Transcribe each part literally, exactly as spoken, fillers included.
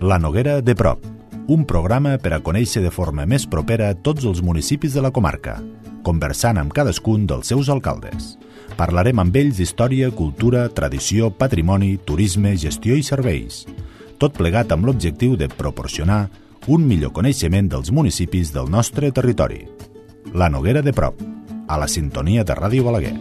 La Noguera de prop, un programa per a conèixer de forma més propera tots els municipis de la comarca, conversant amb cadascun dels seus alcaldes. Parlarem amb ells d'història, cultura, tradició, patrimoni, turisme, gestió i serveis. Tot plegat amb l'objectiu de proporcionar un millor coneixement dels municipis del nostre territori. La Noguera de prop, a la sintonia de Ràdio Balaguer.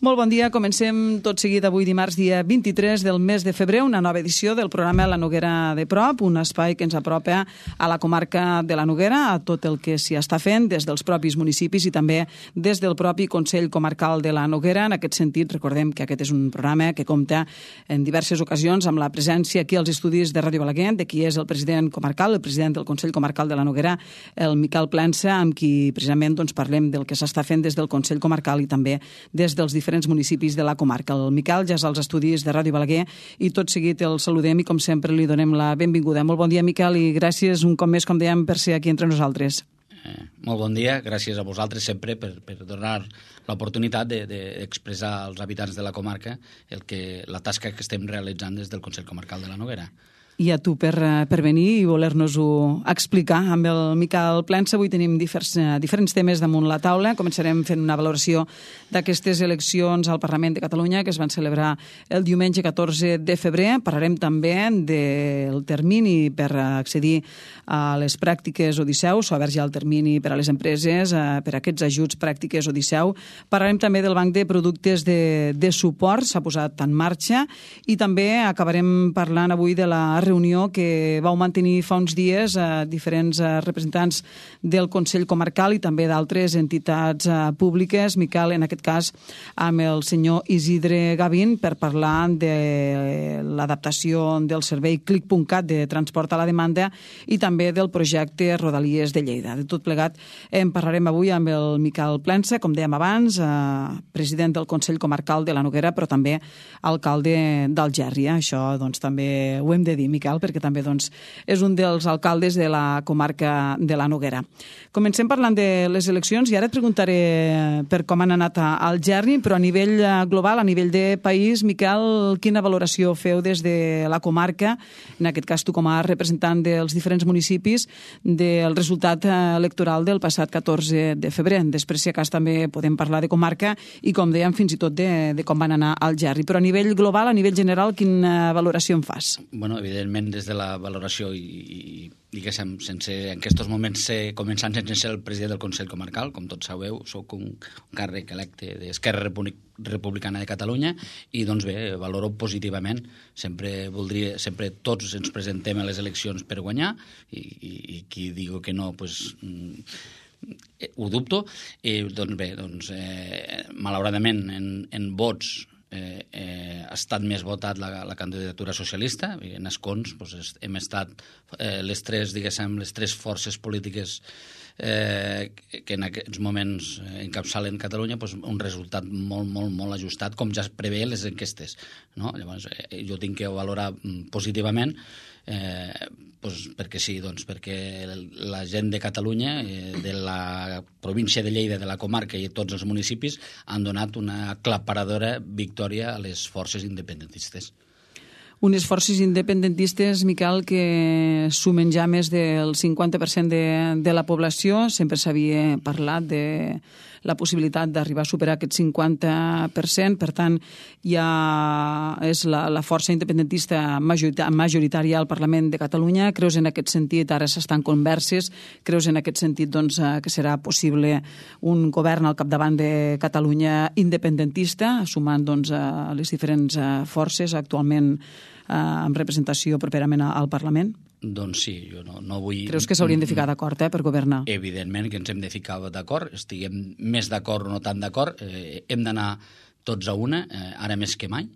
Molt bon dia, comencem tot seguit avui dimarts, dia vint-i-tres del mes de febrer, una nova edició del programa La Noguera de prop, un espai que ens apropa a la comarca de la Noguera, a tot el que s'hi està fent des dels propis municipis i també des del propi Consell Comarcal de la Noguera. En aquest sentit, recordem que aquest és un programa que compta en diverses ocasions amb la presència aquí als estudis de Ràdio Balaguer, de qui és el president comarcal, el president del Consell Comarcal de la Noguera, el Miquel Plensa, amb qui precisament doncs, parlem del que s'està fent des del Consell Comarcal i també des dels diferents municipis de la comarca. El Miquel ja és als estudis de Ràdio Balaguer i tot seguit el saludem i com sempre li donem la benvinguda. Molt bon dia, Miquel, i gràcies un cop més, com dèiem, per ser aquí entre nosaltres. Eh, molt bon dia, gràcies a vosaltres sempre per, per donar l'oportunitat d'expressar de, de als habitants de la comarca el que, la tasca que estem realitzant des del Consell Comarcal de la Noguera. I a tu per, per venir i voler-nos-ho explicar. Amb el Miquel Plensa avui tenim diferents, diferents temes damunt la taula. Començarem fent una valoració d'aquestes eleccions al Parlament de Catalunya que es van celebrar el diumenge catorze de febrer. Parlarem també del termini per accedir a les pràctiques Odisseu. S'ha obert ja el termini per a les empreses, per a aquests ajuts pràctiques Odisseu. Parlarem també del banc de productes de, de suport, s'ha posat en marxa, i també acabarem parlant avui de la reunió que vau mantenir fa uns dies a diferents representants del Consell Comarcal i també d'altres entitats públiques. Miquel, en aquest cas, amb el senyor Isidre Gavín, per parlar de l'adaptació del servei clic punt cat de transport a la demanda i també del projecte Rodalies de Lleida. De tot plegat en parlarem avui amb el Miquel Plensa, com dèiem abans, president del Consell Comarcal de la Noguera, però també alcalde d'Algèria. Això doncs, també ho hem de dir, Miquel, perquè també doncs, és un dels alcaldes de la comarca de la Noguera. Comencem parlant de les eleccions i ara et preguntaré per com han anat a Algerri, però a nivell global, a nivell de país, Miquel, quina valoració feu des de la comarca, en aquest cas tu com a representant dels diferents municipis, del resultat electoral del passat catorze de febrer? Després, si a cas, també podem parlar de comarca i, com dèiem, fins i tot de, de com van anar a Algerri. Però a nivell global, a nivell general, quina valoració en fas? Bueno, evidentment, des de la valoració i, i diguéssim, sense, en aquests moments ser, començant sense ser el president del Consell Comarcal, com tots sabeu, soc un, un càrrec electe d'Esquerra Republicana de Catalunya i, doncs bé, valoro positivament. Sempre voldria, sempre tots ens presentem a les eleccions per guanyar i, i, i qui diu que no, doncs... Mm, ho dubto. I, doncs bé, doncs, eh, malauradament, en, en vots Eh, eh, ha estat més votat la, la candidatura socialista. En escons doncs, hem estat eh, les tres, diguéssim, les tres forces polítiques eh, que en aquests moments encapçalen Catalunya, doncs, un resultat molt, molt, molt ajustat, com ja es prevé les enquestes, no? Llavors, eh, jo tinc que valorar positivament eh, doncs, perquè sí, doncs, perquè la gent de Catalunya, eh, de la província de Lleida, de la comarca i tots els municipis han donat una aclaparadora victòria a les forces independentistes. Unes forces independentistes, Miquel, que sumen ja més del cinquanta per cent de, de la població. Sempre s'havia parlat de la possibilitat d'arribar a superar aquest cinquanta per cent. Per tant, ja és la, la força independentista majoritària al Parlament de Catalunya. Creus en aquest sentit, ara s'estan converses, creus en aquest sentit doncs, que serà possible un govern al capdavant de Catalunya independentista, sumant doncs, a les diferents forces actualment amb representació properament al Parlament? Doncs sí, jo no, no vull... Creus que s'haurien de ficar d'acord eh, per governar? Evidentment que ens hem de ficar d'acord, estiguem més d'acord o no tan d'acord, eh, hem d'anar tots a una, eh, ara més que mai,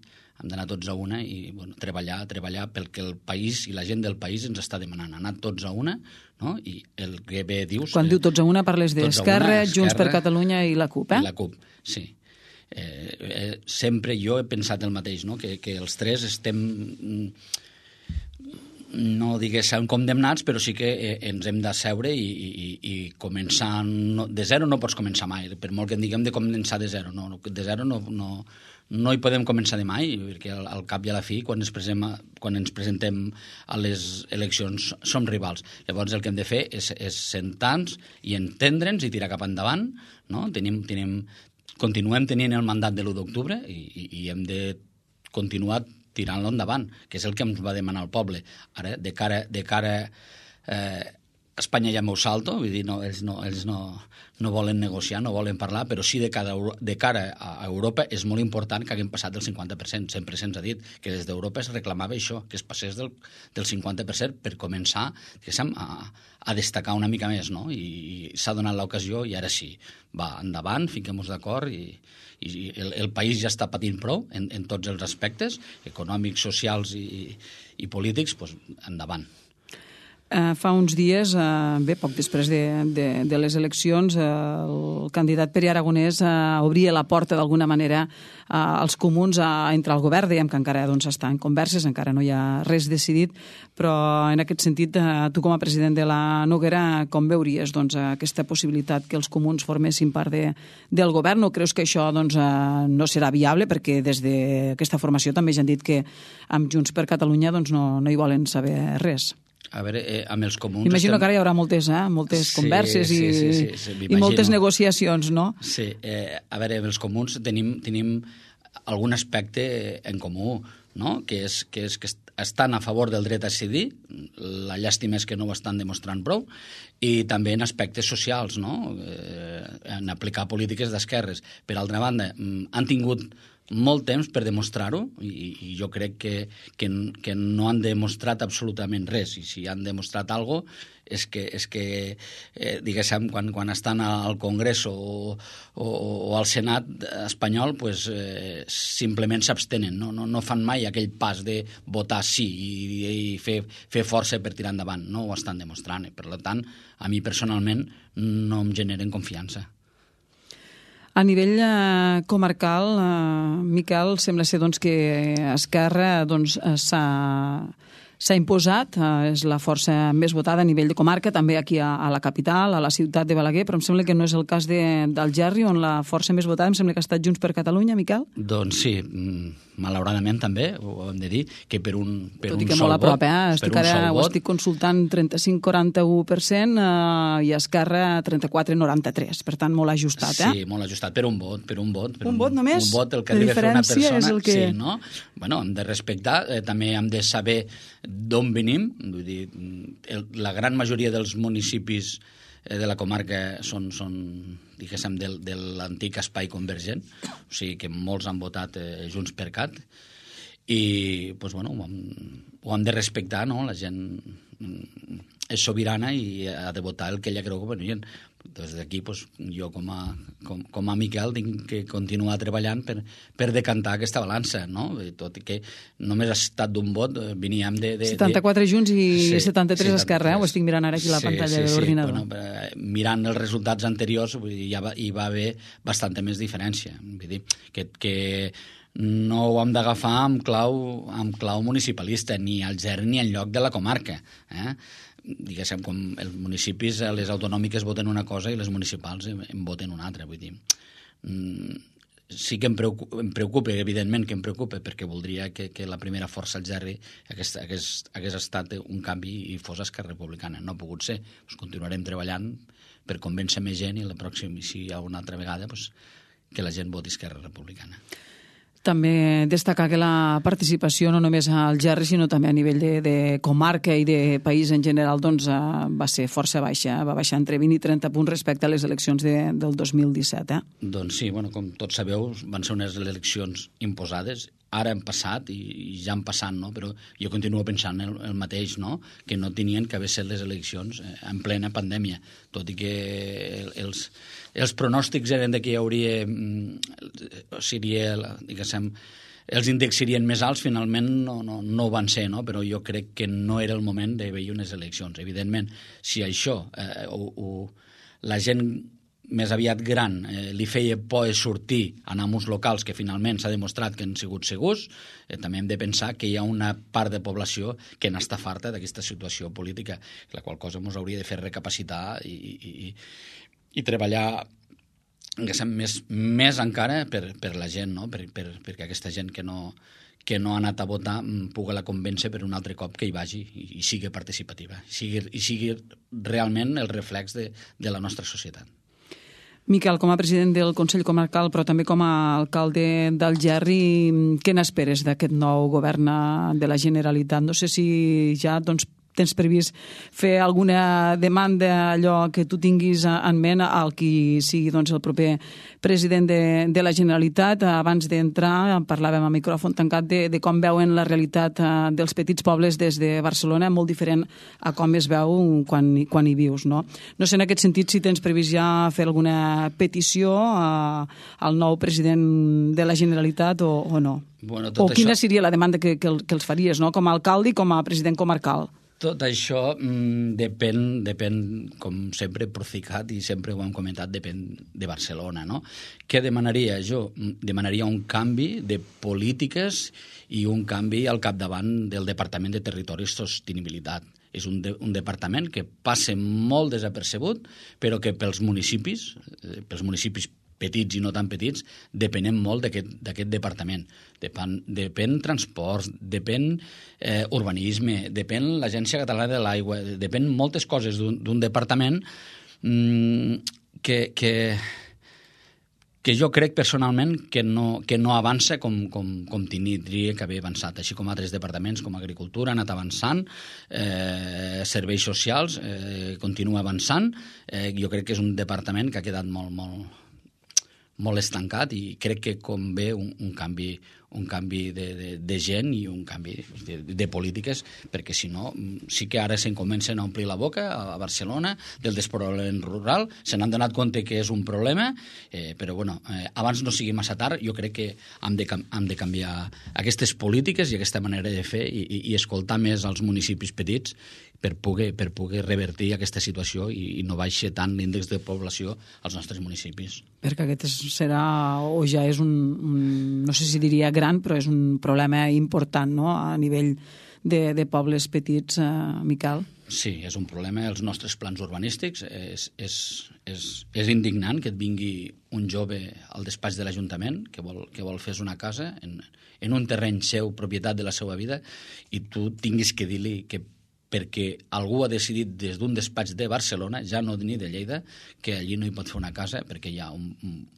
hem d'anar tots a una i bueno, treballar, treballar pel que el país i la gent del país ens està demanant, anar tots a una, no? I el que bé dius... Quan eh, diu tots a una parles d'Esquerra, Junts per Catalunya i la CUP, eh? I la CUP, sí. Eh, eh, sempre jo he pensat el mateix, no? que, que els tres estem no diguéssim condemnats, però sí que eh, ens hem d'asseure i, i, i començar... No, de zero no pots començar mai, per molt que en diguem de començar de zero. No, de zero no, no, no hi podem començar de mai, perquè al, al cap i a la fi, quan ens, presem, quan ens presentem a les eleccions, som rivals. Llavors el que hem de fer és, és sentar-nos i entendre'ns i tirar cap endavant. No? Tenim, tenim, continuem tenint el mandat de l'u d'octubre i, i, i hem de continuar tirant-lo endavant, que és el que ens va demanar el poble. Ara, de cara, de cara eh, Espanya ja m'ho salto, vull dir, no, ells, no, ells no, no volen negociar, no volen parlar, però sí de, cada, de cara a Europa és molt important que haguem passat del cinquanta per cent. Sempre se'ns ha dit que des d'Europa es reclamava això, que es passés del, del cinquanta per cent per començar a, a destacar una mica més, no? I, i s'ha donat l'ocasió i ara sí, va, endavant, fiquem-nos d'acord i, i el, el país ja està patint prou en, en tots els aspectes, econòmics, socials i, i polítics, doncs endavant. Uh, fa uns dies, uh, bé, poc després de, de, de les eleccions, uh, el candidat Pere Aragonès uh, obria la porta d'alguna manera uh, als comuns a entrar al govern. Dèiem que encara doncs, està en converses, encara no hi ha res decidit, però en aquest sentit, uh, tu com a president de la Noguera, com veuries doncs, aquesta possibilitat que els comuns formessin part de, del govern? No creus que això doncs, uh, no serà viable? Perquè des d'aquesta formació també ja han dit que amb Junts per Catalunya doncs, no, no hi volen saber res. A veure, eh, amb els comuns... Imagino estem... que ara hi haurà moltes, eh, moltes sí, converses i, sí, sí, sí, sí, i moltes negociacions, no? Sí, eh, a veure, amb els comuns tenim, tenim algun aspecte en comú, no? Que és, que és que estan a favor del dret a decidir, la llàstima és que no ho estan demostrant prou, i també en aspectes socials, no? Eh, en aplicar polítiques d'esquerres. Per altra banda, han tingut molt temps per demostrar-ho i, i jo crec que, que, que no han demostrat absolutament res, i si han demostrat alguna cosa és que, és que eh, diguéssim, quan, quan estan al Congrés o, o, o al Senat espanyol, pues, eh, simplement s'abstenen, no? No, no fan mai aquell pas de votar sí i, i fer, fer força per tirar endavant, no ho estan demostrant, per tant, a mi personalment no em generen confiança. A nivell eh, comarcal, eh, Miquel, sembla ser doncs, que Esquerra doncs, s'ha s'ha imposat, eh, és la força més votada a nivell de comarca, també aquí a, a la capital, a la ciutat de Balaguer, però em sembla que no és el cas de, del Gerri, on la força més votada em sembla que ha estat Junts per Catalunya, Miquel? Doncs sí, malauradament també, ho hem de dir, que per un, per Tot un i que sol molt a prop, vot... eh? Estic ara, ho vot, estic consultant trenta-cinc coma quaranta-u per cent eh, i Esquerra trenta-quatre coma noranta-tres, per tant molt ajustat, eh? Sí, molt ajustat, per un vot, per un vot. Per un, un vot només? Un vot, el que arriba a fer una persona... És el que... Sí, no? Bueno, hem de respectar, eh, també hem de saber d'on venim, vull dir, el, la gran majoria dels municipis eh, de la comarca són, són diguéssim, del, de l'antic espai convergent, o sigui que molts han votat eh, Junts per Cat, i pues, bueno, ho, hem, ho hem de respectar, no? La gent és sobirana i ha de votar el que ella creu convenient. Des d'aquí, pues, jo com a, com, com a Miquel tinc que continuar treballant per, per decantar aquesta balança, no? Tot i que només ha estat d'un vot, veníem de... de setanta-quatre de... Junts i sí, setanta-tres Esquerra, eh? Ho estic mirant ara aquí a la sí, pantalla sí, de l'ordinador. Sí, bueno, mirant els resultats anteriors, vull dir, ja va, hi va haver bastanta més diferència. Vull dir, que, que no ho hem d'agafar amb clau, amb clau municipalista, ni al Gerri ni en lloc de la comarca, eh? Diguéssim, com els municipis, les autonòmiques voten una cosa i les municipals en voten una altra, vull dir, sí que em preocupa, em preocupa, evidentment que em preocupa, perquè voldria que, que la primera força al Gerri hagués, hagués, hagués estat un canvi i fos Esquerra Republicana. No ha pogut ser. Pues continuarem treballant per convèncer més gent i la pròxima, si hi ha una altra vegada, pues, que la gent voti Esquerra Republicana. També destacar que la participació no només al Gerri, sinó també a nivell de, de comarca i de país en general doncs, va ser força baixa, va baixar entre vint i trenta punts respecte a les eleccions de, del dos mil disset. Eh? Doncs sí, bueno, com tots sabeu, van ser unes eleccions imposades, ara han passat i, i ja han passat, no? Però jo continuo pensant el, el mateix, no? Que no tenien que haver set les eleccions en plena pandèmia, tot i que els, els pronòstics eren de que hi hauria, seria, diguéssim, els índexs serien més alts, finalment no, no, no ho van ser, no? Però jo crec que no era el moment d'haver-hi unes eleccions. Evidentment, si això, eh, ho, ho, la gent més aviat gran, eh, li feia por sortir en amos locals que finalment s'ha demostrat que han sigut segurs, eh, també hem de pensar que hi ha una part de població que n'està farta d'aquesta situació política, la qual cosa ens hauria de fer recapacitar i, i, i, i treballar més, més encara per, per la gent, no? per, per, perquè aquesta gent que no, que no ha anat a votar pugui la convèncer per un altre cop que hi vagi i, i sigui participativa, i sigui, i sigui realment el reflex de, de la nostra societat. Miquel, com a president del Consell Comarcal, però també com a alcalde d'Algerri, què n'esperes d'aquest nou govern de la Generalitat? No sé si ja doncs, tens previst fer alguna demanda, allò que tu tinguis en ment al qui sigui doncs, el proper president de, de la Generalitat. Abans d'entrar parlàvem a micròfon tancat de, de com veuen la realitat dels petits pobles des de Barcelona, molt diferent a com es veu quan, quan hi vius. No? no sé en aquest sentit si tens previst ja fer alguna petició a, al nou president de la Generalitat o, o no. Bueno, o quina això... seria la demanda que, que, que els faries, no? Com a alcalde i com a president comarcal? Tot això mm, depèn, depèn, com sempre he procicat i sempre ho hem comentat, depèn de Barcelona, no? Què demanaria jo? Demanaria un canvi de polítiques i un canvi al capdavant del Departament de Territori i Sostenibilitat. És un, de, un departament que passa molt desapercebut, però que pels municipis, pels municipis petits i no tan petits, depenem molt d'aquest departament. Depèn, depèn transports, depèn eh, urbanisme, depèn l'Agència Catalana de l'Aigua, depèn moltes coses d'un departament mm, que, que, que jo crec personalment que no, que no avança com, com, com tindria que haver avançat, així com altres departaments com Agricultura ha anat avançant, eh, Serveis Socials eh, continua avançant. Eh, jo crec que és un departament que ha quedat molt, molt molt estancat i crec que convé un, un canvi, un canvi de, de, de gent i un canvi de, de polítiques, perquè si no, sí que ara se'n comencen a omplir la boca a Barcelona del despoblament rural, se n'han donat compte que és un problema, eh, però bueno, eh, abans no sigui massa tard, jo crec que hem de, hem de canviar aquestes polítiques i aquesta manera de fer i, i, i escoltar més als municipis petits per poder, per poder revertir aquesta situació i, i no baixi tant l'índex de població als nostres municipis. Perquè aquest serà, o ja és un, un no sé si diria gran, però és un problema important, no?, a nivell de, de pobles petits, eh, Miquel. Sí, és un problema. Els nostres plans urbanístics és, és, és, és indignant que et vingui un jove al despatx de l'Ajuntament que vol, que vol fer una casa en, en un terreny seu, propietat de la seva vida, i tu tinguis que dir-li que perquè algú ha decidit des d'un despatx de Barcelona, ja no ni de Lleida, que allí no hi pot fer una casa perquè hi ha, un,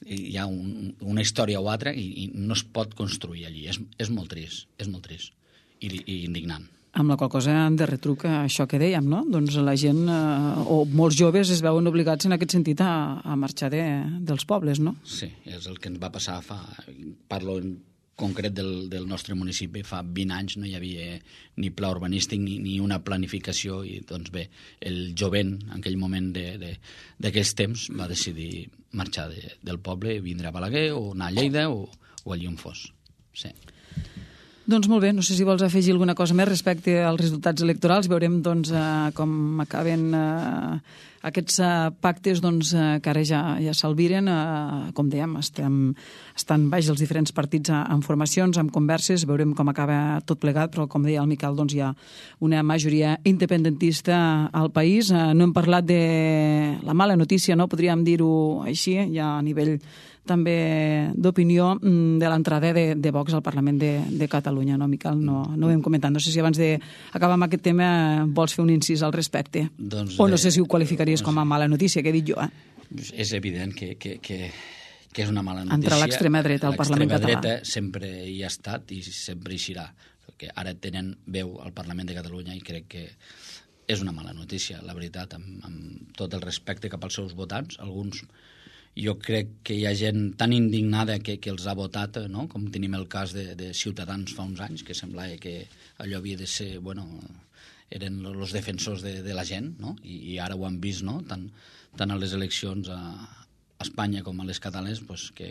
hi ha un, una història o altra i, i no es pot construir allí. És, és molt trist, és molt trist i, i indignant. Amb la qual cosa en de retruc això que dèiem, no? Doncs la gent, eh, o molts joves es veuen obligats en aquest sentit a, a marxar de, dels pobles, no? Sí, és el que ens va passar fa... Parlo en concret del, del nostre municipi, fa vint anys no hi havia ni pla urbanístic ni, ni una planificació i doncs bé, el jovent en aquell moment d'aquells temps va decidir marxar de, del poble, vindre a Balaguer o anar a Lleida o, o allí on fos. Sí. Doncs molt bé, no sé si vols afegir alguna cosa més respecte als resultats electorals. Veurem doncs, eh, com acaben eh, aquests eh, pactes doncs, eh, que ara ja, ja s'albiren. Eh, com dèiem, estem, estan baix els diferents partits en formacions, en converses. Veurem com acaba tot plegat, però com deia el Miquel, doncs, hi ha una majoria independentista al país. Eh, no hem parlat de la mala notícia, no? Podríem dir-ho així, ja a nivell també d'opinió de l'entrada de, de Vox al Parlament de, de Catalunya, no, Miquel? No, no ho hem comentat. No sé si abans d'acabar amb aquest tema vols fer un incís al respecte. Doncs, o no sé si ho qualificaries com a mala notícia, que he dit jo, eh? És evident que, que, que, que és una mala notícia. Entre l'extrema dreta al Parlament català. L'extrema dreta sempre hi ha estat i sempre hi serà. Perquè ara tenen veu al Parlament de Catalunya i crec que és una mala notícia, la veritat, amb, amb tot el respecte cap als seus votants. Alguns... Jo crec que hi ha gent tan indignada que, que els ha votat, no? Com tenim el cas de, de Ciutadans fa uns anys, que semblava que allò havia de ser, bueno, eren els defensors de, de la gent, no? I, i ara ho han vist, no? Tant, tant a les eleccions a Espanya com a les catalanes, pues, que,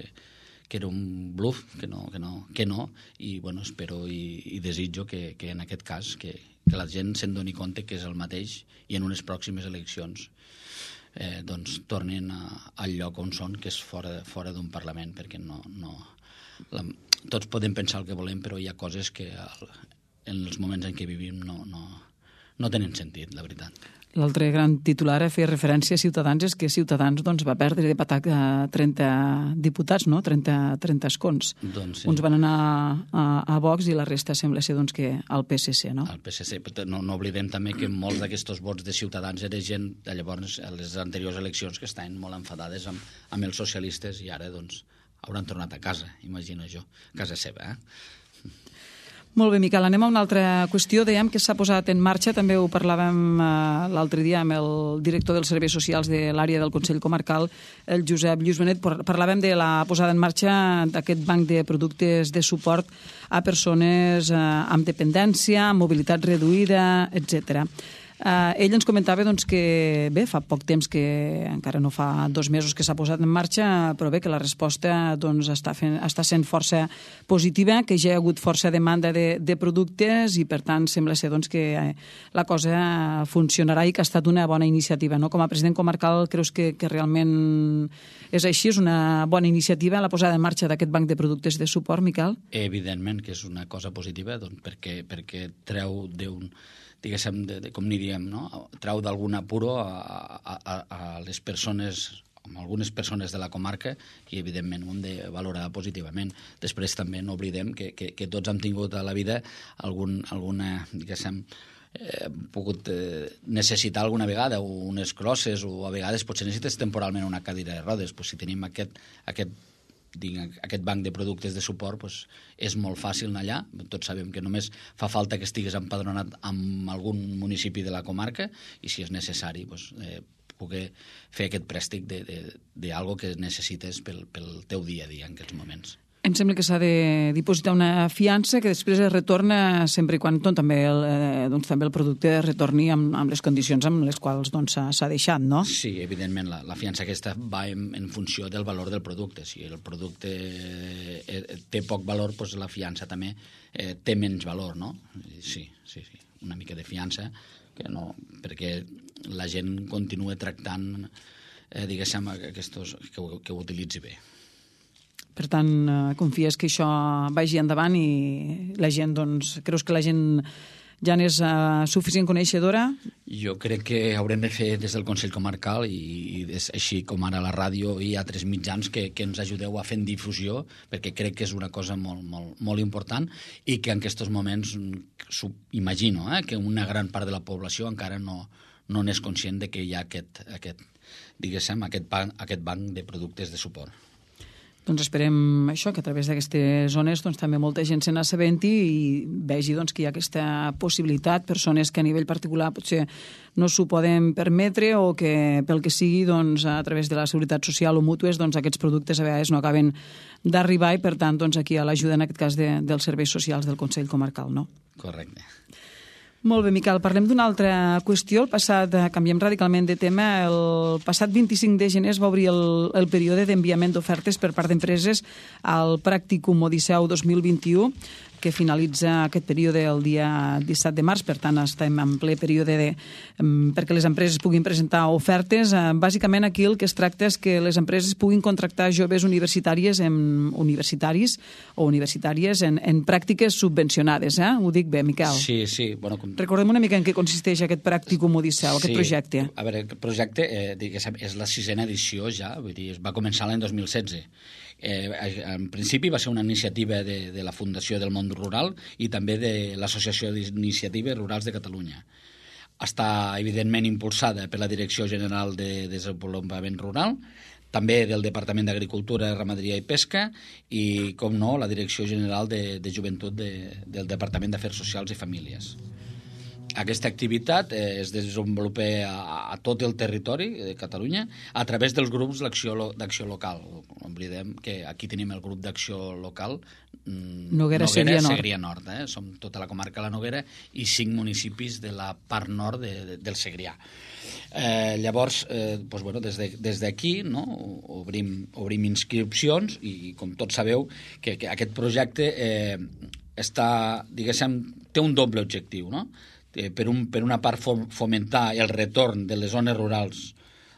que era un bluff, que no, que no, que no. I bueno, espero i, i desitjo que, que en aquest cas que, que la gent se'n doni compte que és el mateix i en unes pròximes eleccions eh, doncs tornin a, al lloc on són, que és fora, fora d'un Parlament, perquè no, no, la, tots podem pensar el que volem, però hi ha coses que al, en els moments en què vivim no, no, no tenen sentit, la veritat. L'altre gran titular a fer referència a Ciutadans és que Ciutadans doncs, va perdre de patac a trenta diputats, no? trenta, trenta escons. Doncs sí. Uns van anar a, a Vox i la resta sembla ser doncs, que al P S C, no? Al P S C. No, no oblidem també que molts d'aquests vots de Ciutadans era gent de llavors, a les anteriors eleccions, que estaven molt enfadades amb, amb els socialistes i ara doncs, hauran tornat a casa, imagino jo, casa seva, eh? Molt bé, Miquel, anem a una altra qüestió. Dèiem que s'ha posat en marxa, també ho parlàvem eh, l'altre dia amb el director dels serveis socials de l'àrea del Consell Comarcal, el Josep Lluís Benet. Parlàvem de la posada en marxa d'aquest banc de productes de suport a persones eh, amb dependència, amb mobilitat reduïda, etcètera. Uh, ell ens comentava doncs, que bé, fa poc temps que encara no fa dos mesos que s'ha posat en marxa, però bé, que la resposta doncs, està, fent, està sent força positiva, que ja hi ha hagut força demanda de, de productes i per tant sembla ser doncs, que la cosa funcionarà i que ha estat una bona iniciativa. No? Com a president comarcal creus que, que realment és així? És una bona iniciativa la posada en marxa d'aquest banc de productes de suport, Miquel? Evidentment que és una cosa positiva doncs, perquè, perquè treu d'un diguéssim, de, de, com n'hi diem, no? Trau d'algun apuro a, a, a, a les persones, a algunes persones de la comarca i, evidentment, ho hem de valorar positivament. Després també no oblidem que, que, que tots hem tingut a la vida algun, alguna, diguéssim, eh, pogut eh, necessitar alguna vegada unes crosses o a vegades potser necessites temporalment una cadira de rodes. Pues, si tenim aquest, aquest Dic, aquest banc de productes de suport doncs, és molt fàcil anar allà. Tots sabem que només fa falta que estigues empadronat en algun municipi de la comarca i si és necessari doncs, eh, poder fer aquest préstec d'algo que necessites pel, pel teu dia a dia en aquests moments. Em sembla que s'ha de dipositar una fiança que després es retorna sempre i quan doncs, també, el, eh, doncs, també el producte retorni amb, amb les condicions amb les quals s'ha doncs, deixat, no? Sí, evidentment, la, la fiança aquesta va en, en funció del valor del producte. Si el producte eh, té poc valor, doncs la fiança també eh, té menys valor, no? Sí, sí, sí, una mica de fiança, que no, perquè la gent continua tractant, eh, diguéssim, aquestos, que, ho, que ho utilitzi bé. Per tant, confies que això vagi endavant i la gent, doncs, creus que la gent ja n'és uh, suficient coneixedora? Jo crec que haurem de fer des del Consell Comarcal i, i des, així com ara la ràdio i altres mitjans que, que ens ajudeu a fer difusió, perquè crec que és una cosa molt, molt, molt important i que en aquests moments imagino eh, que una gran part de la població encara no, no n'és conscient de que hi ha aquest, aquest, diguéssim, aquest, banc, aquest banc de productes de suport. Doncs esperem això, que a través d'aquestes zones doncs, també molta gent se n'assabenti i vegi doncs, que hi ha aquesta possibilitat, persones que a nivell particular potser no s'ho poden permetre o que pel que sigui doncs, a través de la Seguretat Social o mútues doncs, aquests productes a vegades no acaben d'arribar i per tant doncs, aquí a l'ajuda en aquest cas de, dels serveis socials del Consell Comarcal, no? Correcte. Molt bé, Miquel, parlem d'una altra qüestió. El passat, canviem radicalment de tema, el passat vint-i-cinc de gener es va obrir el, el període d'enviament d'ofertes per part d'empreses al Pràcticum Odisseu dos mil vint-i-u, que finalitza aquest període el dia disset de març, per tant estem en ple període de, perquè les empreses puguin presentar ofertes. Bàsicament aquí el que es tracta és que les empreses puguin contractar joves universitàries en, universitaris o universitàries en, en pràctiques subvencionades. Eh? Ho dic bé, Miquel? Sí, sí. Bueno, com... Recordem una mica en què consisteix aquest Pràcticum Odisseu, aquest sí. projecte. A veure, aquest projecte eh, és la sisena edició ja, vull dir, es va començar l'any dos mil setze. Eh, en principi va ser una iniciativa de, de la Fundació del Món Rural i també de l'Associació d'Iniciatives Rurals de Catalunya. Està, evidentment, impulsada per la Direcció General de Desenvolupament Rural, també del Departament d'Agricultura, Ramaderia i Pesca i, com no, la Direcció General de, de Joventut de, del Departament d'Afers Socials i Famílies. Aquesta activitat eh, es desenvolupa a, a tot el territori de Catalunya a través dels grups d'acció local. Oblidem que aquí tenim el grup d'acció local Noguera, Noguera Segrià Nord. Segrià Nord eh? Som tota la comarca de la Noguera i cinc municipis de la part nord de, de, del Segrià. Eh, llavors, eh, doncs, bueno, des d'aquí de, no, obrim, obrim inscripcions i, com tots sabeu, que, que aquest projecte eh, està, diguéssim, té un doble objectiu, no? Per, un, per una part fomentar el retorn de les zones rurals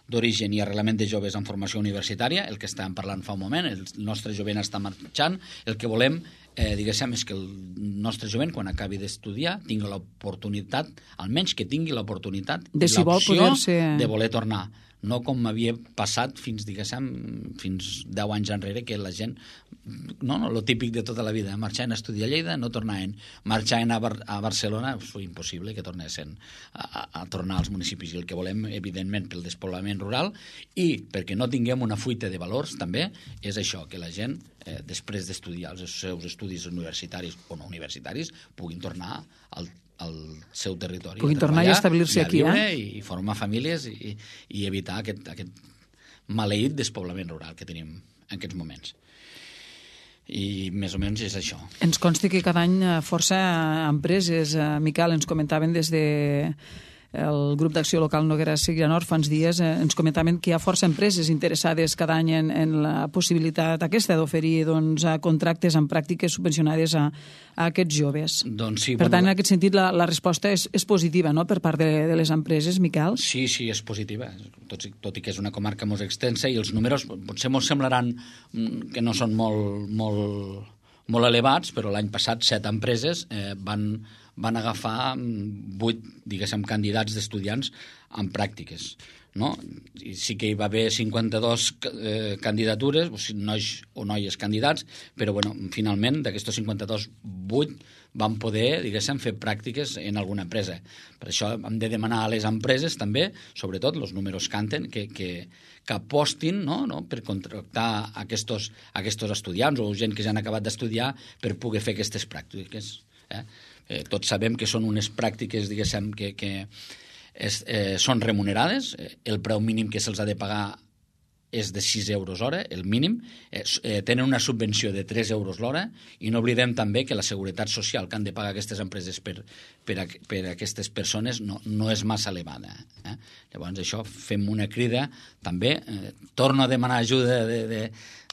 d'origen i arrelament de joves en formació universitària, el que estàvem parlant fa un moment, el nostre jovent està marxant, el que volem eh, diguéssim, és que el nostre jovent, quan acabi d'estudiar, tingui l'oportunitat, almenys que tingui l'oportunitat de, i si l'opció ser... de voler tornar. No com m'havia passat fins, diguéssim, fins deu anys enrere, que la gent, no, no, lo típic de tota la vida, marxaven a estudiar a Lleida, no tornaven, marxaven a, Bar a Barcelona, és impossible que tornessin a, a, a tornar als municipis, i el que volem, evidentment, pel despoblament rural, i perquè no tinguem una fuita de valors, també, és això, que la gent, eh, després d'estudiar els seus estudis universitaris o no universitaris, puguin tornar al al seu territori. Puguin tornar i establir-se aquí, eh? I, i formar famílies i, i evitar aquest, aquest maleït despoblament rural que tenim en aquests moments. I més o menys és això. Ens consta que cada any força empreses, Miquel, ens comentaven des de el grup d'acció local Noguera Segrianor fa uns dies, eh, ens comentaven que hi ha força empreses interessades cada any en, en la possibilitat aquesta d'oferir doncs, contractes amb pràctiques subvencionades a, a aquests joves. Doncs sí, per bueno, tant, en aquest sentit, la, la resposta és, és positiva, no?, per part de, de les empreses, Miquel? Sí, sí, és positiva, tot, tot i que és una comarca molt extensa i els números potser ens semblaran que no són molt, molt, molt elevats, però l'any passat set empreses eh, van van agafar vuit, diguéssim, candidats d'estudiants en pràctiques, no? I sí que hi va haver cinquanta-dos eh, candidatures, o sigui, nois o noies candidats, però, bueno, finalment, d'aquestos cinquanta-dos, vuit van poder, diguéssim, fer pràctiques en alguna empresa. Per això hem de demanar a les empreses, també, sobretot, els números canten, que, que, que apostin, no, no, per contractar aquests, aquests estudiants o gent que ja han acabat d'estudiar per poder fer aquestes pràctiques, eh? Eh, tots sabem que són unes pràctiques, diguéssim, que, que és, eh, són remunerades. El preu mínim que se'ls ha de pagar és de sis euros hora, el mínim. Eh, eh, tenen una subvenció de tres euros l'hora i no oblidem també que la seguretat social que han de pagar aquestes empreses per, per, a, per a aquestes persones no, no és massa elevada. Eh? Llavors, això, fem una crida també. Eh, torno a demanar ajuda de, de,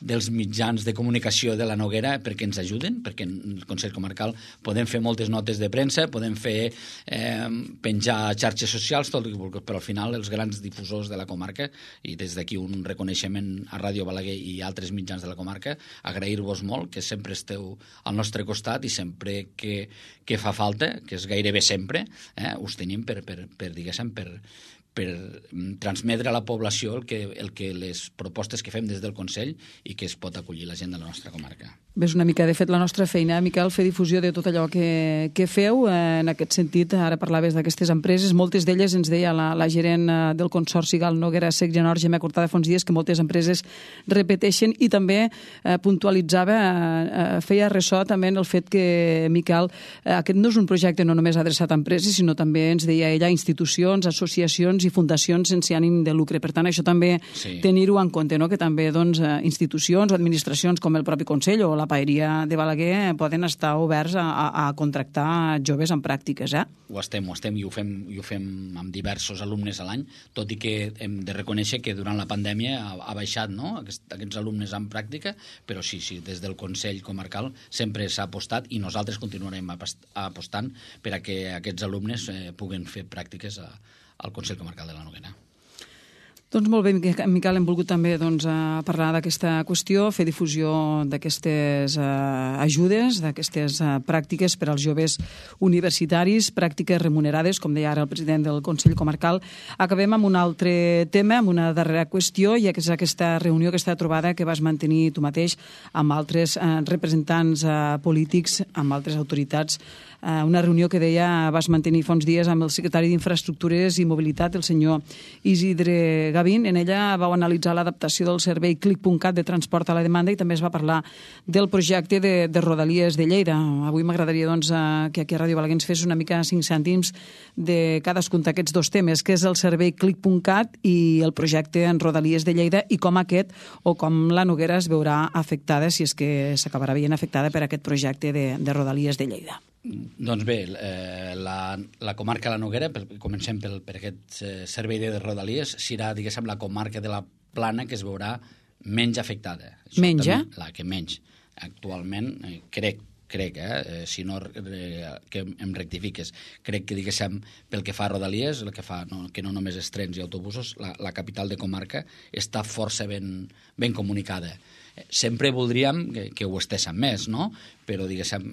dels mitjans de comunicació de la Noguera perquè ens ajuden, perquè en el Consell Comarcal podem fer moltes notes de premsa, podem fer eh, penjar xarxes socials, tot, però al final els grans difusors de la comarca, i des d'aquí un reconeixement a Ràdio Balaguer i altres mitjans de la comarca, agrair-vos molt que sempre esteu al nostre costat i sempre que, que fa falta, que és gairebé sempre, eh, us tenim per, per, per diguéssim, per per transmetre a la població el que, el que les propostes que fem des del Consell i que es pot acollir la gent de la nostra comarca. Ves una mica, de fet, la nostra feina, Miquel, fer difusió de tot allò que, que feu. En aquest sentit, ara parlaves d'aquestes empreses, moltes d'elles, ens deia la, la gerent del Consorci Gal Noguera Segrianor, Gemma Cortada, fa uns dies, que moltes empreses repeteixen i també eh, puntualitzava, eh, feia ressò també en el fet que, Miquel, eh, aquest no és un projecte no només adreçat a empreses, sinó també, ens deia ella, institucions, associacions i fundacions sense ànim de lucre. Per tant, això també sí. tenir-ho en compte, no? Que també doncs, institucions o administracions com el propi Consell o la Paeria de Balaguer poden estar oberts a, a, a contractar joves en pràctiques. Eh? Ho estem, ho estem i ho fem, i ho fem amb diversos alumnes a l'any, tot i que hem de reconèixer que durant la pandèmia ha, ha baixat, no? Aquest, aquests alumnes en pràctica, però sí, sí, des del Consell Comarcal sempre s'ha apostat i nosaltres continuarem apostant per a que aquests alumnes eh, puguen fer pràctiques a al Consell Comarcal de la Noguera. Doncs molt bé, Miquel, hem volgut també doncs, parlar d'aquesta qüestió, fer difusió d'aquestes uh, ajudes, d'aquestes uh, pràctiques per als joves universitaris, pràctiques remunerades, com deia ara el president del Consell Comarcal. Acabem amb un altre tema, amb una darrera qüestió, i és aquesta reunió, aquesta trobada que vas mantenir tu mateix amb altres uh, representants uh, polítics, amb altres autoritats, uh, una reunió que deia vas mantenir fa uns dies amb el secretari d'Infraestructures i Mobilitat, el senyor Isidre Gavín. En ella vau analitzar l'adaptació del servei clic punt cat de transport a la demanda i també es va parlar del projecte de, de Rodalies de Lleida. Avui m'agradaria doncs, que aquí a Ràdio Balaguer ens fes una mica cinc cèntims de cadascun d'aquests dos temes, que és el servei clic punt cat i el projecte en Rodalies de Lleida, i com aquest o com la Noguera es veurà afectada, si és que s'acabarà veient afectada per aquest projecte de, de Rodalies de Lleida. Doncs bé, eh, la, la comarca de la Noguera, per, comencem pel, per aquest eh, servei de Rodalies, serà, diguéssim, la comarca de la Plana que es veurà menys afectada. Menys, eh? La que menys. Actualment, eh, crec crec, eh, si no eh, que em rectifiques, crec que, diguéssim, pel que fa a Rodalies, el que fa no, que no només és trens i autobusos, la, la capital de comarca està força ben, ben comunicada. Sempre voldríem que, que ho estéssim més, no? Però, diguéssim,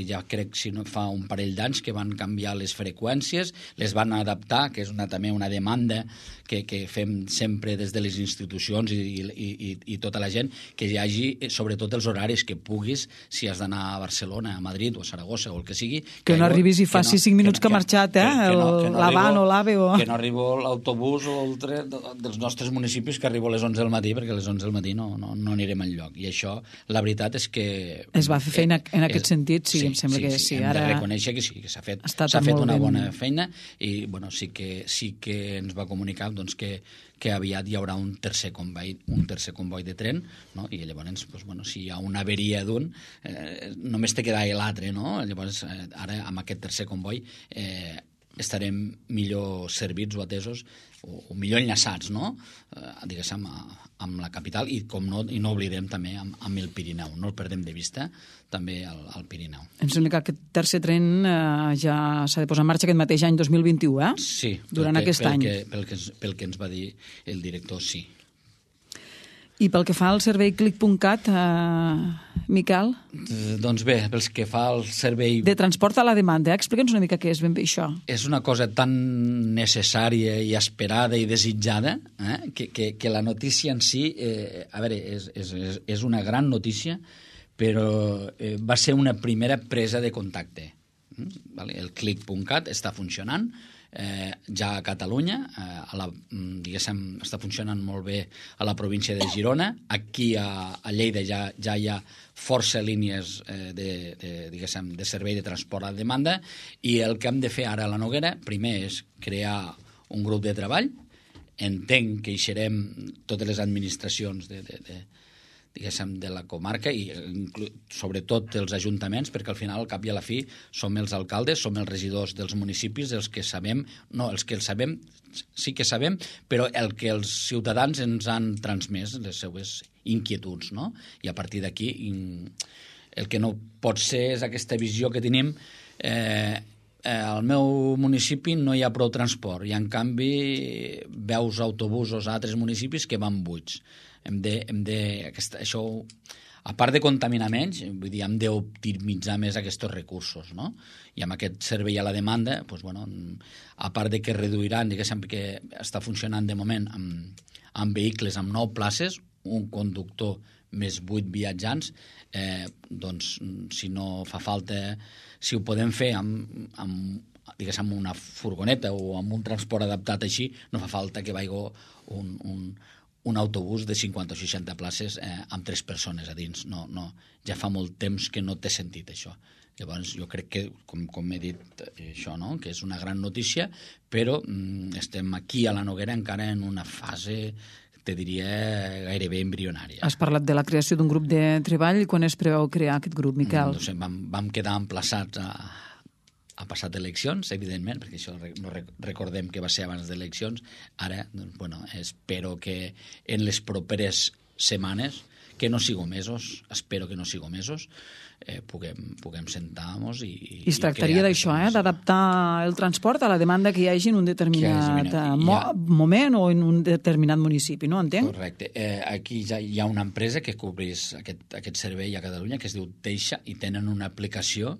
ja crec si no fa un parell d'anys que van canviar les freqüències, les van adaptar, que és una, també una demanda que, que fem sempre des de les institucions i, i, i, i tota la gent, que hi hagi, sobretot, els horaris que puguis, si has d'anar a Barcelona, a Madrid o a Saragossa o el que sigui... Que, que no arribis i faci no, cinc minuts que, que ha marxat, eh? Que, que no, que no l'Avan o l'AVE o... Que no arribo l'autobús o el tren dels nostres municipis, que arribo a les onze del matí, perquè a les onze del matí no, no, no anirem enlloc. I això, la veritat és que... Es va fer feina en aquest és, sentit, sí, sí, em sembla sí, que sí. sí. Hem Ara de reconèixer que sí, que s'ha fet, s'ha fet una ben... bona feina i, bueno, sí que, sí que ens va comunicar doncs, que, que aviat hi haurà un tercer comboi, un tercer comboi de tren, no? I llavors, doncs, bueno, si hi ha una averia d'un, eh, només te queda l'altre, no? Llavors, eh, ara, amb aquest tercer comboi, eh, estarem millor servits o atesos o, o millor enllaçats, no? Eh, diguéssim, amb la capital i, com no, i no oblidem també amb, amb el Pirineu, no el perdem de vista, també al, al Pirineu. Em sembla que aquest tercer tren eh, ja s'ha de posar en marxa aquest mateix any dos mil vint-i-u, eh? Sí. Durant que, aquest pel any. Que, pel, que, pel que ens va dir el director, sí. I pel que fa al servei clic punt cat, eh, Miquel? Eh, doncs bé, pel que fa al servei... De transport a la demanda, eh? Explica'ns una mica què és ben bé això. És una cosa tan necessària i esperada i desitjada, eh? que, que, que la notícia en si, eh, a veure, és, és, és una gran notícia, però eh, va ser una primera presa de contacte. Vale? El clic punt cat està funcionant, Eh, ja a Catalunya, eh, a la, diguéssim, està funcionant molt bé a la província de Girona. Aquí a, a Lleida ja, ja hi ha força línies eh, de, de, diguéssim, de servei de transport a demanda, i el que hem de fer ara a la Noguera, primer és crear un grup de treball. Entenc que hi serem totes les administracions de, de, de diguéssim, de la comarca i sobretot els ajuntaments, perquè al final, al cap i a la fi, som els alcaldes, som els regidors dels municipis, els que sabem, no, els que els sabem, sí que sabem, però el que els ciutadans ens han transmès, les seues inquietuds, no? I a partir d'aquí, el que no pot ser és aquesta visió que tenim, eh, al meu municipi no hi ha prou transport i en canvi veus autobusos a altres municipis que van buits. Hem de, hem de, aquesta, això, a part de contaminar menys, vull dir, hem d'optimitzar més aquests recursos, no? I amb aquest servei a la demanda, doncs, bueno, a part de que reduiran, diguéssim, que està funcionant de moment amb, amb vehicles amb nou places, un conductor més vuit viatjants, eh, doncs, si no fa falta, si ho podem fer amb, amb diguéssim, una furgoneta o amb un transport adaptat així, no fa falta que vagi un, un, un autobús de cinquanta o seixanta places eh, amb tres persones a dins. No, no, ja fa molt temps que no té sentit això. Llavors, jo crec que, com, com he dit, això, no? Que és una gran notícia, però mm, estem aquí a la Noguera encara en una fase, te diria, gairebé embrionària. Has parlat de la creació d'un grup de treball. Quan es preveu crear aquest grup, Miquel? No sé, vam, vam quedar emplaçats a... ha passat eleccions, evidentment, perquè això no recordem que va ser abans d'eleccions. Ara, doncs, bueno, espero que en les properes setmanes, que no sigo mesos, espero que no sigo mesos, eh, puguem, puguem sentar-nos i... I es tractaria d'això, eh? D'adaptar el transport a la demanda que hi hagi en un determinat mo ha... moment o en un determinat municipi, no? Entenc? Correcte. Eh, aquí ja hi ha una empresa que cobreix aquest, aquest servei a Catalunya, que es diu Teixa, i tenen una aplicació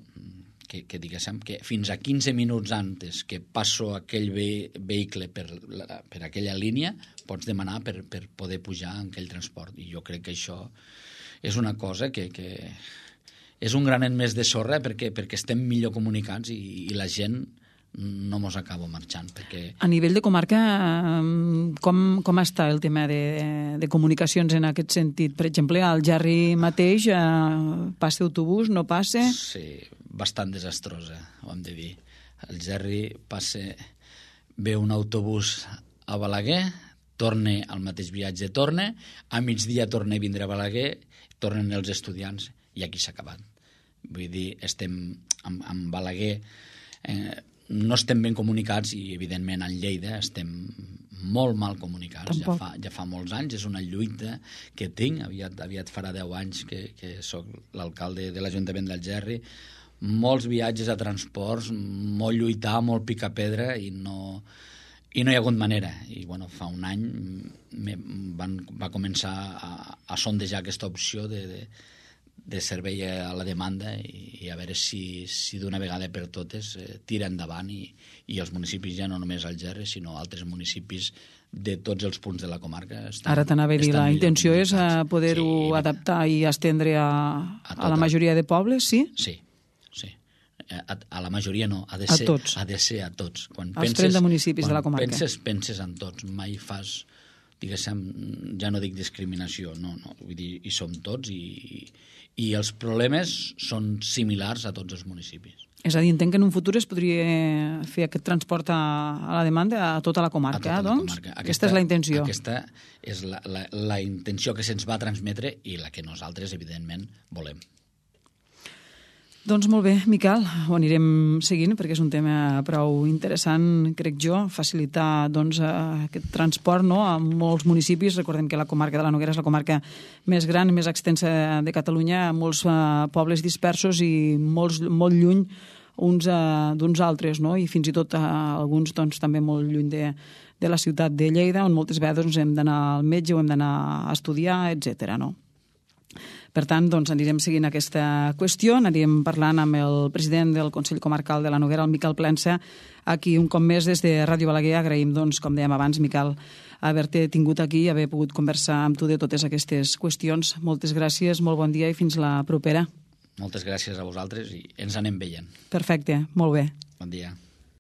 que, que diguéssim que fins a quinze minuts antes que passo aquell ve vehicle per, la, per aquella línia pots demanar per, per poder pujar en aquell transport. I jo crec que això és una cosa que, que és un granet més de sorra perquè, perquè estem millor comunicats i, i la gent no mos acaba marxant. Perquè... A nivell de comarca, com, com està el tema de, de comunicacions en aquest sentit? Per exemple, al Gerri mateix eh, passa autobús, no passa? Sí, bastant desastrosa, ho hem de dir. Al Gerri passa, ve un autobús a Balaguer, torna al mateix viatge, torna, a migdia torna a vindre a Balaguer, tornen els estudiants i aquí s'ha acabat. Vull dir, estem amb, amb Balaguer... Eh, no estem ben comunicats i, evidentment, en Lleida estem molt mal comunicats. Ja fa, ja fa molts anys, és una lluita que tinc. Aviat, aviat farà deu anys que, que soc l'alcalde de l'Ajuntament d'Algerri. Molts viatges a transports, molt lluitar, molt picar pedra i no... I no hi ha hagut manera. I, bueno, fa un any me, van, va començar a, a sondejar aquesta opció de, de, de servei a la demanda i, i a veure si, si d'una vegada per totes eh, tira endavant i, i els municipis, ja no només Algerri, sinó altres municipis de tots els punts de la comarca. Estan, Ara t'anava a dir, la intenció és poder-ho sí, adaptar i estendre a, a, a la majoria de pobles, sí? Sí, sí. A, a la majoria no, ha de ser a, tots. Ha de ser a tots. Quan Els trenta municipis de la comarca. Quan penses, penses en tots. Mai fas, diguéssim, ja no dic discriminació, no, no. Vull dir, hi som tots i, i els problemes són similars a tots els municipis. És a dir, entenc que en un futur es podria fer aquest transport a, a la demanda a tota la comarca, tota doncs? La comarca. Aquesta, aquesta és la intenció. Aquesta és la, la, la intenció que se'ns va transmetre i la que nosaltres, evidentment, volem. Doncs molt bé, Miquel, ho anirem seguint perquè és un tema prou interessant, crec jo, facilitar doncs, aquest transport no, a molts municipis. Recordem que la comarca de la Noguera és la comarca més gran, més extensa de Catalunya, molts uh, pobles dispersos i molts, molt lluny uns uh, d'uns altres, no? I fins i tot uh, alguns doncs, també molt lluny de, de la ciutat de Lleida, on moltes vegades doncs, hem d'anar al metge o hem d'anar a estudiar, etcètera, no? Per tant, doncs, anirem seguint aquesta qüestió, anirem parlant amb el president del Consell Comarcal de la Noguera, el Miquel Plensa, aquí un cop més des de Ràdio Balaguer. Agraïm, doncs, com dèiem abans, Miquel, haver-te tingut aquí i haver pogut conversar amb tu de totes aquestes qüestions. Moltes gràcies, molt bon dia i fins la propera. Moltes gràcies a vosaltres i ens anem veient. Perfecte, molt bé. Bon dia.